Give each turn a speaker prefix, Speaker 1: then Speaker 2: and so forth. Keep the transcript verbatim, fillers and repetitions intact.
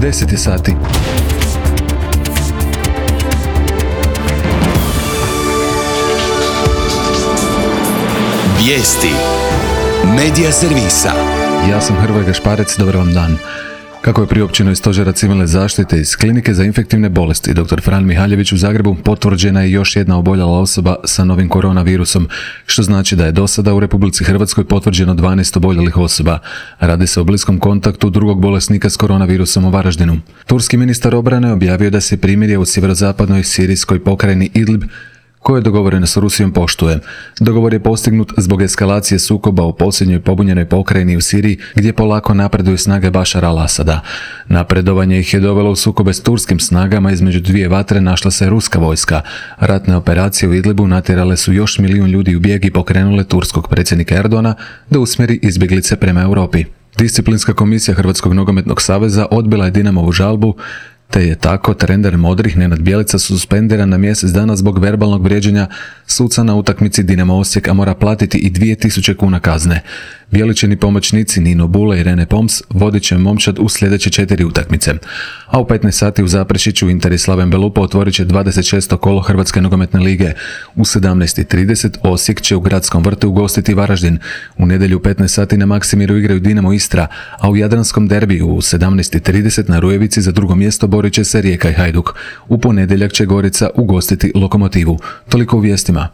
Speaker 1: deset je sati.
Speaker 2: Vijesti Medija servisa.
Speaker 1: Ja sam Hrvoje Gašparec, dobar vam dan. Kako je priopćeno iz Stožera civilne zaštite iz Klinike za infektivne bolesti dr. Fran Mihaljević u Zagrebu, potvrđena je još jedna oboljela osoba sa novim koronavirusom, što znači da je do sada u Republici Hrvatskoj potvrđeno dvanaest oboljelih osoba. Radi se o bliskom kontaktu drugog bolesnika s koronavirusom u Varaždinu. Turski ministar obrane objavio da se primirje u sjeverozapadnoj sirijskoj pokrajini Idlib, koje je dogovoreno s Rusijom, poštuje. Dogovor je postignut zbog eskalacije sukoba u posljednjoj pobunjenoj pokrajini u Siriji, gdje polako napreduju snage Bašara al-Asada. Napredovanje ih je dovelo u sukobe s turskim snagama, između dvije vatre našla se ruska vojska. Ratne operacije u Idlibu natjerale su još milijun ljudi u bijeg i pokrenule turskog predsjednika Erdogana da usmjeri izbjeglice prema Europi. Disciplinska komisija Hrvatskog nogometnog saveza odbila je Dinamovu žalbu, te je tako trener modrih Nenad Bjelica suspendiran na mjesec dana zbog verbalnog vrijeđanja suca na utakmici Dinamo Osijek, a mora platiti i dvije tisuće kuna kazne. Bjeličini pomoćnici Nino Bule i Rene Poms vodit će momčad u sljedeće četiri utakmice. A u petnaest sati u Zaprešiću Inter i Slaven Belupo otvorit će dvadeset šesto kolo Hrvatske nogometne lige. U sedamnaest i trideset Osijek će u Gradskom vrtu ugostiti Varaždin. U nedjelju u petnaest sati na Maksimiru igraju Dinamo Istra, a u Jadranskom derbiju u sedamnaest i trideset na Rujevici za drugo mjesto borit će se Rijeka i Hajduk. U ponedjeljak će Gorica ugostiti Lokomotivu. Toliko u vijestima.